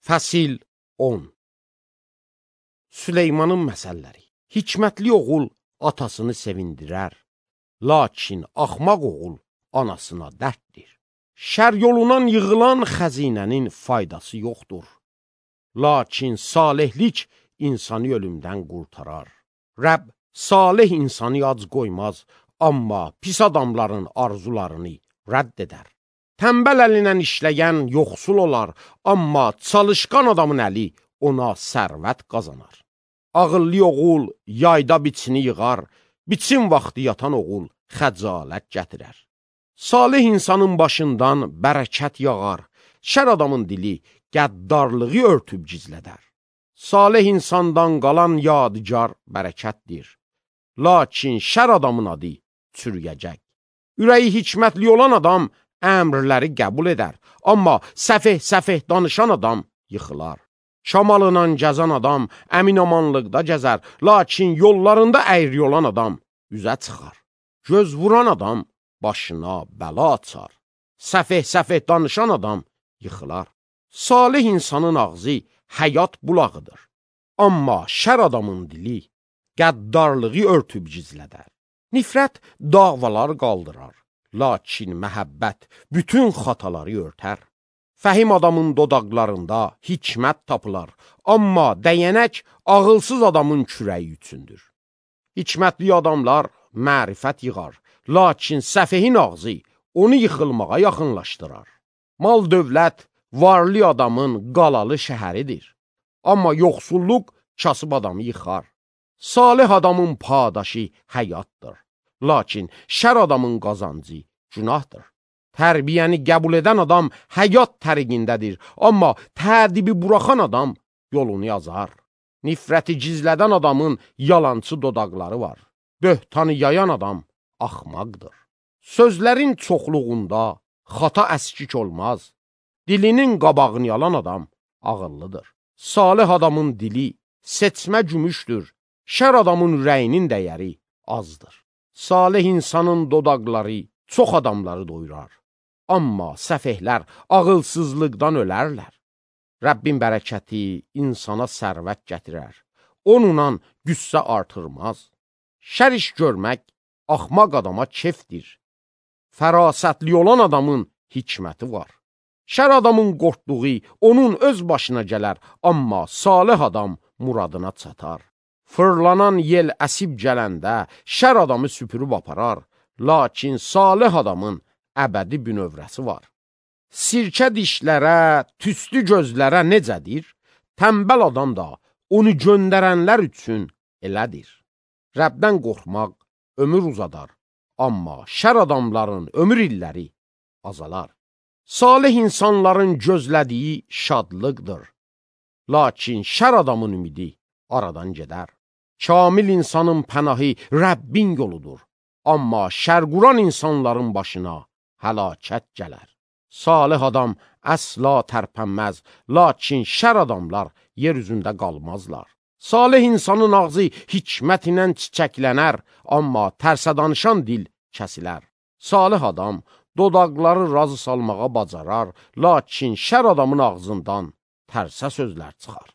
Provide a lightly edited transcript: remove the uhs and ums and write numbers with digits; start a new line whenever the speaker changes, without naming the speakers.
Fəsil 10. Süleymanın məsəlləri. Hikmətli oğul atasını sevindirər, lakin axmaq oğul anasına dərddir. Şər yolundan yığılan xəzinənin faydası yoxdur, lakin salihlik insanı ölümdən qurtarar. Rəbb salih insanı ac qoymaz, amma pis adamların arzularını rədd edər. Tənbəl əlinə işləyən yoxsul olar, amma çalışqan adamın əli ona sərvət qazanar. Ağıllı oğul yayda biçini yığar, biçin vaxtı yatan oğul xəcalət gətirər. Salih insanın başından bərəkət yağar, şər adamın dili qəddarlığı örtüb gizlədər. Salih insandan qalan yadigar bərəkətdir, lakin şər adamın adı çürüyəcək. Ürəyi hikmətli olan adam əmrləri qəbul edər, amma səfeh danışan adam yıxılar. Şamalına gəzən adam əminamanlıqda gəzər, lakin yollarında əyri olan adam üzə çıxar. Göz vuran adam başına bəla açar. Səfeh danışan adam yıxılar. Salih insanın ağzı həyat bulağıdır, amma şər adamın dili qəddarlığı örtüb gizlədər. Nifrət davalar qaldırar, lakin məhəbbət bütün xataları örtər. Fəhim adamın dodaqlarında hikmət tapılar, amma dəyənək ağılsız adamın kürəyi üçündür. Hikmətli adamlar mərifət yığar, lakin səfehin ağzı onu yıxılmağa yaxınlaşdırar. Mal dövlət varlı adamın qalalı şəhəridir, amma yoxsulluq kasıb adamı yıxar. Salih adamın padaşı həyatdır, lakin şər adamın qazancı günahdır. Tərbiyəni qəbul edən adam həyat təriqindədir, amma tədibi buraxan adam yolunu yazar. Nifrəti gizlədən adamın yalancı dodaqları var. Böhtanı yayan adam axmaqdır. Sözlərin çoxluğunda xata əskik olmaz. Dilinin qabağını yalan adam ağıllıdır. Salih adamın dili seçmə gümüşdür, şər adamın ürəyinin dəyəri azdır. Salih insanın dodaqları çox adamları doyurar, amma səfehlər ağılsızlıqdan ölərlər. Rəbbin bərəkəti insana sərvət gətirər, onunla qüssə artırmaz. Şər iş görmək axmaq adama kefdir. Fərasətli olan adamın hikməti var. Şər adamın qorxduğu onun öz başına gələr, amma salih adam muradına çatar. Fırlanan yel əsib gələndə şər adamı süpürüb aparar, lakin salih adamın əbədi bünövrəsi var. Sirkə dişlərə, tüstü gözlərə necədir? Tənbəl adam da onu göndərənlər üçün elədir. Rəbdən qorxmaq ömür uzadar, amma şər adamların ömür illəri azalar. Salih insanların gözlədiyi şadlıqdır, lakin şər adamın ümidi aradan gedər. Kamil insanın pənahı Rəbbin yoludur, amma şər quran insanların başına həlakət gələr. Salih adam əsla tərpənməz, lakin şər adamlar yer üzündə qalmazlar. Salih insanın ağzı hikmət ilə çiçəklənər, amma tərsə danışan dil kəsilər. Salih adam dodaqları razı salmağa bacarar, lakin şər adamın ağzından tərsə sözlər çıxar.